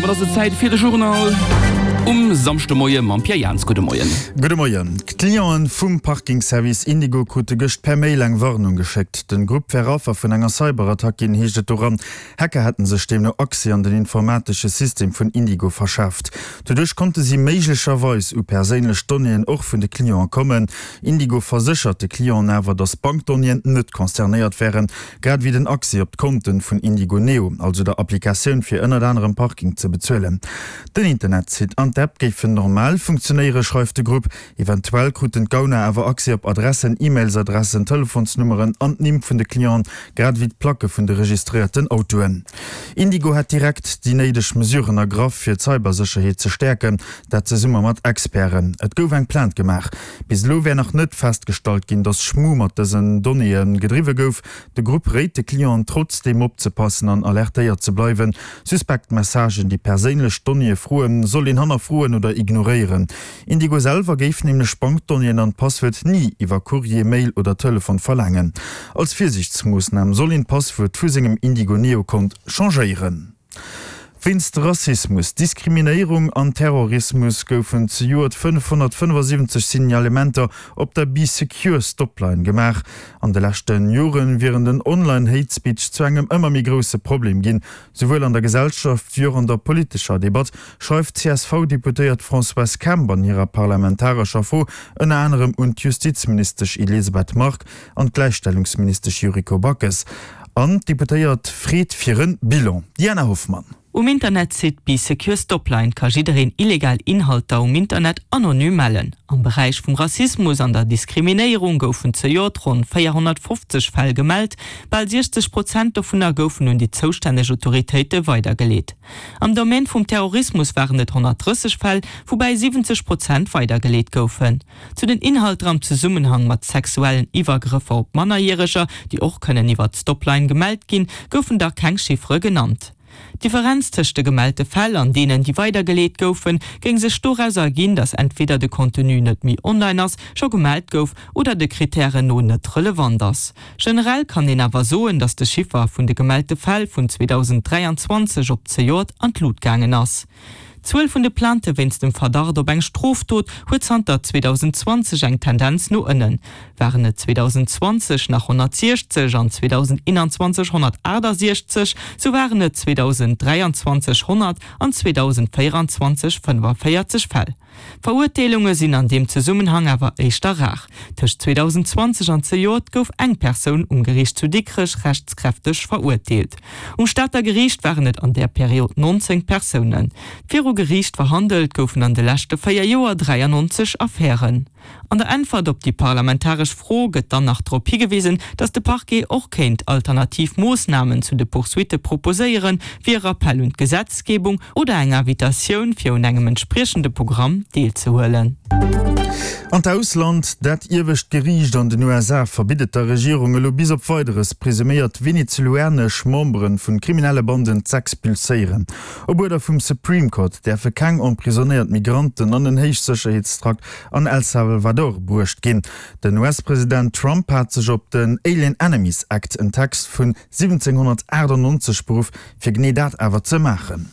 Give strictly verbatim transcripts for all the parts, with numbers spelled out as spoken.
Domat ass et Zäit fir de Journal um Samschdemoie mam Pierre Jans. Gudde Moien. Gudde Moien. D'Clienten vum Parking-Service Indigo krute gëscht per Mail eng Warnung geschéckt. Den Grupp wär Affer vun enger Cyberattack ginn, heescht et doran. Hacker hätten sech deemno Accès an den informatesche System vun Indigo verschaaft. Doduerch konnte si méiglecherweis u perséinlech Donnéeën och vun de Clienten kommen. Indigo verséchert de Clienten awer, datt Bankdonnéeën net concernéiert wären, grad ewéi den Accès op d'Konten vun Indigo Neo, also der Applikatioun fir ënnert anerem Parking ze bezuelen. Den Internetsite an d'App géifen normal funktionéieren, schreift de Grupp. Eventuell kruten d'Gauner awer Accès op Adressen, E-Mails-Adressen, Telefonsnummeren an d'Nimm vun de Clienten, grad ewéi d'Placke vun de registréierten Autoen. Indigo hätt direkt déi néideg Mesuren ergraff, fir d'Cybersécherheet ze stäerken, dat zesumme mat Experten. Et gouf eng Plainte gemaach. Bis elo wär nach net festgestallt ginn, datt Schmu mat dësen Donnéeë gedriwwe gouf. De Grupp réit de Clienten trotzdeem opzepassen an alertéiert ze bleiwen. Suspekt Messagen, déi perséinlech Donnéeë froen, soll een hannerfroen oder ignoréieren. Indigo selwer géif nämlech Bankdonnéeën an d'Passwuert ni iwwer Courrier, Mail oder Telefon verlaangen. Als Virsiichtsmoossnam soll een d'Passwuert vu sengem Indigo Neo Kont changéieren. Wéinst Rassismus, Diskriminéierung an Terrorismus goufen zejoert fënnefhonnertfënnefasiwwenzeg Signalementer op der Bee Secure Stopline gemaach. An de leschte Jore wieren den Online Hate Speech zu engem ëmmer méi grousse Problem ginn, souwuel an der Gesellschaft wéi och an der politescher Debatt, schreift d'C S V-Deputéiert Françoise Kemp an hirer parlamentarescher Fro ënner anerem un d'Justizministesch Elisabeth Margue an d'Gläichstellungsministesch Yuriko Backes. An d'Deputéiert freet fir e Bilan. Diana Hoffmann. Um Internetsite Bee Secure Stopline ka jiddereen illegal Inhalter um Internet anonym mellen. Am Beräich vum Rassismus an der Diskriminéierung goufen zejoert ronn véierhonnertfofzeg Fäll gemellt, bal siechzeg Prozent dovunner goufen un déi zoustänneg Autoritéite weidergeleet. Am Domaine vum Terrorismus waren et honnertdrësseg Fäll, woubäi siwwenzeg Prozent weidergeleet goufen. Zu den Inhalter am Zesummenhang mat sexuellen Iwwergrëffer op Mannerjäreger, déi och kënnen iwwer d'Stopline gemellt ginn, goufen da keng Chiffere genannt. D'Differenz tëscht de gemellte Fäll an deenen, déi weidergeleet goufen, géing sech doraus erginn, datt entweder de Contenu net méi online ass, scho gemellt gouf oder de Krittären no net relevant ass. Generell kann een awer soen, datt de Chiffer vun de gemellte Fäll vun zweedausendräianzwanzeg op zejoert an d'Lut gaangen ass. D'Zuel vun de Plainte wéinst dem Verdacht op eng Strofdot huet zanter zweedausendzwanzeg eng Tendenz no ënnen. Waren et zweedausendzwanzeg nach honnertsiechzeg an zweedausendeenanzwanzeg honnertaachtasechzeg, sou waren et zweedausenddräianzwanzeg honnert an zweedausendvéieranzwanzeg fënnefaféierzeg Fäll. Verurteelunge sinn an deem Zesummenhang awer éischter rar. Tëscht zweedausendzwanzeg an zejoert gouf eng Persoun um Geriicht zu Dikrech rechtskräfteg verurteelt. Um Stater Geriicht waren et an där Period nonzéng Persounen. Viru Geriicht verhandelt goufen an de leschte véier Joer dräiannonzeg Affären. An der Äntwert op déi parlamentaresch Fro gëtt dann nach drop higewisen, datt de Parquet och kéint alternativ Moossnamen zu de Poursuitte proposéieren, wéi e Rappell un d'Gesetzgebung oder eng Invitatioun, fir un engem entspriechende Programm deelzehuelen. An d'Ausland, Dat iewescht Geriicht an den U S A verbitt et der Regierung elo bis op Weideres, presuméiert venezuelanesch Membere vun kriminelle Banden z'expulséieren. Op Uerder vum Supreme Court däerfe keng emprisonnéiert Migranten an en Héichsécherheetstrakt an El Salvador bruecht ginn. Den U S-President Trump hat sech op den Alien Enemies Act, en Text vun siwwenzénghonnertaachtanonzeg, beruff, fir genee dat awer ze maachen.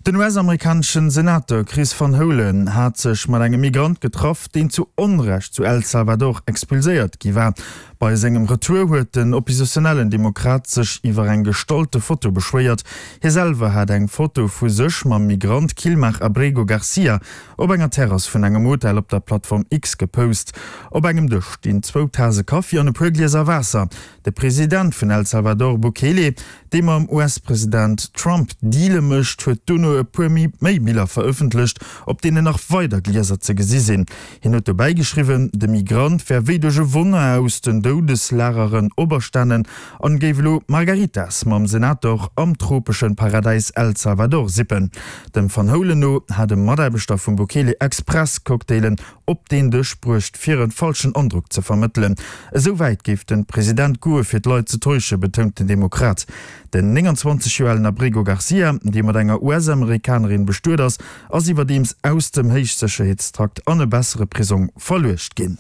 Den U S-amerikaneschen Senator Chris Van Hollen hat sech mat engem Migrant getraff, deen zu Onrecht zu El Salvador expulséiert gi war. Bei sengem Retour huet den oppositionellen Demokrat sech iwwer eng gestallte Foto beschwéiert. Hie selwer hat eng Foto vu sech mam Migrant Kilmar Abrego Garcia op enger Terrass vun engem Hotel op der Plattform X gepost. Op engem Dësch stinn zwou Tase Kaffi an e puer Glieser Waasser. De President vun El Salvador Bukele, dee mam U S-President Trump Deale mécht, huet dono e puer méi Biller verëffentlecht, op deenen nach weider Glieser ze gesi sinn. Hien huet dobäi geschriwwen, de Migrant wär wéi duerch e Wonner aus den Doudeslageren operstanen an géif elo Margaritas mam Senator am tropeschen Paradäis El Salvador sippen. Dem Van Hollen no hat e Mataarbechter vum Bukele express Cocktailen op deen Dësch bruecht, fir e falschen Androck ze vermëttelen. Esou wäit géif de President goe fir d'Leit ze täuschen, betount den Demokrat. Den nénganzwanzeg Joer alen Abrego Garcia, dee mat enger U S-Amerikanerin bestuet ass, ass iwwerdeems aus dem Héichsécherheetstrakt an e bessere Prisong verluecht ginn.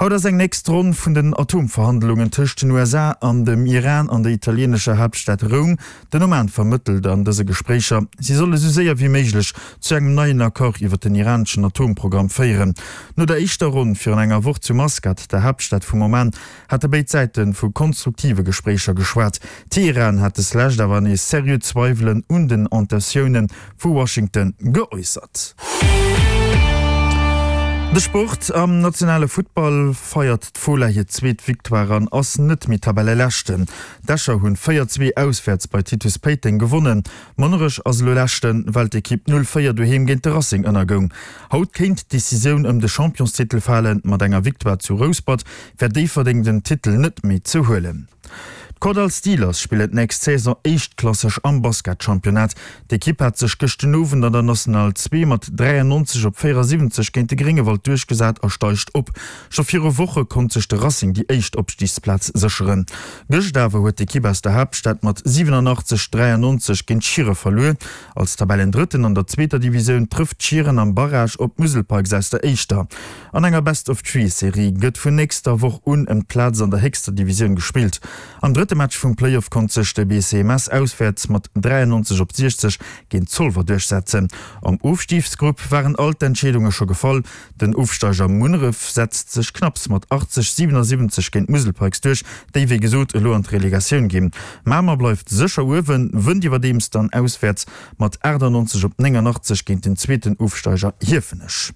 Haut ass eng nächst Ronn vun den Atomverhandlungen tëscht den U S A an dem Iran an der italienescher Haaptstad Roum. Den Oman vermëttelt an dëse Gespréicher. Si solle sou séier wéi méiglech zu engem neien Accord iwwer den iraneschen Atomprogramm féieren. No der éischter Ronn virun enger Woch zu Maskat, der Haaptstad vum Oman, hate béid Säite vu konstruktive Gespréicher geschwat. Teheran hat deslescht awer nees seriö Zweiwelen un den Intentioune vu Washington geäussert. De Sport, Am nationale Futtball feiert d'Fola hir zweet Victoire an ass net méi Tabelleleschten. D'Escher hunn véier zwee auswäerts bei Titus Péiteng gewonnen. Monnerech ass elo Leschten, well d'Ekipp null véier doheem géint de Racing ënnergoung. Haut kéint d'Decisioun ëm de Championstitel falen. Mat enger Victoire zu Rouspert wär Déifferdeng den Titel net méi ze huelen. D'Kordall Steelers spillen d'nächst Saison éischtklasseg am Basketchampionnat. D'Ekipp hat sech gëscht den Owend an der National zwee mat dräiannonzeg op véierasiwwenzeg géint de Gréngewald duerchgesat a steigt op. Scho viru Woche konnt sech de Racing déi éischt Opstigsplaz sécheren. Gëscht awer huet d'Ekipp aus der Haaptstad mat siwenanachtzeg, dräiannonzeg géint Schiere verluer. Als Tabellendrëtten an der zweeter Divisioun trëfft Schieren am Barrage op d'Musel Pikes aus der éischter. An enger Best-of-Three-Serie gëtt vun nächster Woch un ëm d'Plaz an der héchster Divisioun gespillt. Am drëtte Match vum Playoff konnt sech de B C M S auswäerts mat dräiannonzeg op siechzeg géint Zolwer duerchsetzen. Am Ofstigsgrupp waren all d'Entscheedunge scho gefall. Den Ofsteiger Munneref setzt sech knapps mat achtzeg, siewenasiwwenzeg géint d'Musel Pikes duerch, déi wéi gesot elo an d'Relegatioun ginn. Mamer bleift sécher uewen, wënnt iwwerdeems dann auswäerts mat aachtannonzeg op néngannachtzeg géint den zweeten Ofsteiger Hiefenech.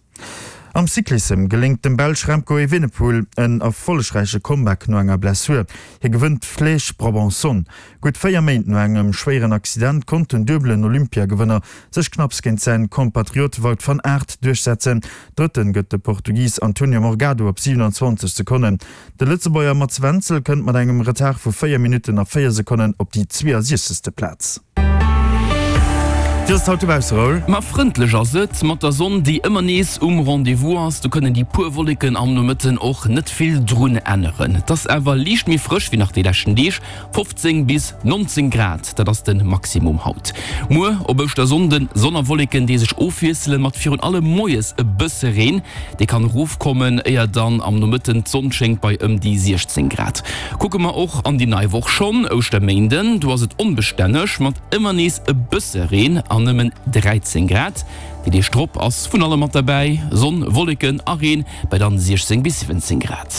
Am Cyclissem geléngt dem Belsch Remco Evenepoel en erfollegräiche Comeback no enger Blessur. Hie gewënnt d'Flèche Brabançonne. Gutt véier Méint no engem schwéieren Accident konnt den duebelen Olympiagewënner sech knapps géint säin Kompatriot Wout van Aert duerchsetzen. Drëtten gëtt de Portugis Antonio Morgado op siewenanzwanzeg Sekonnen. De Lëtzebuerger Mats Wenzel kënnt mat engem Retard vu véier Minutten a véier Sekonnen op déi zweeësiechzegste Plaz. Wéi ass et haut dobausse, Raoul? Ma frëndlech ass et, mat der Sonn déi ëmmer nees um Rendez-vous ass. Do kënnen déi puer Wolleken am Nomëtten och net vill drun änneren. Et ass awer liicht méi frësch wéi nach déi leschten Deeg, fofzéng bis nonzéng Grad, dat ass de Maximum haut. Muer op Ouschtersonnden, Sonn a Wolleken déi sech ofwiesselen, mat virun allem moies e bësse Reen, dee kann erofkommen, éier dann am Nomëtten d'Sonn schéngt bei ëm déi siechzéng Grad. Kucke mer och an déi nei Woch schonn, Ouschterméinden, do ass et onbestänneg mat ëmmer nees e bësse Reen an nëmmen dräizéng Grad. Déi Deeg drop ass vun allem mat derbäi, Sonn, Wolleken a Reen bei dann siechzéng bis siwwenzéng Grad.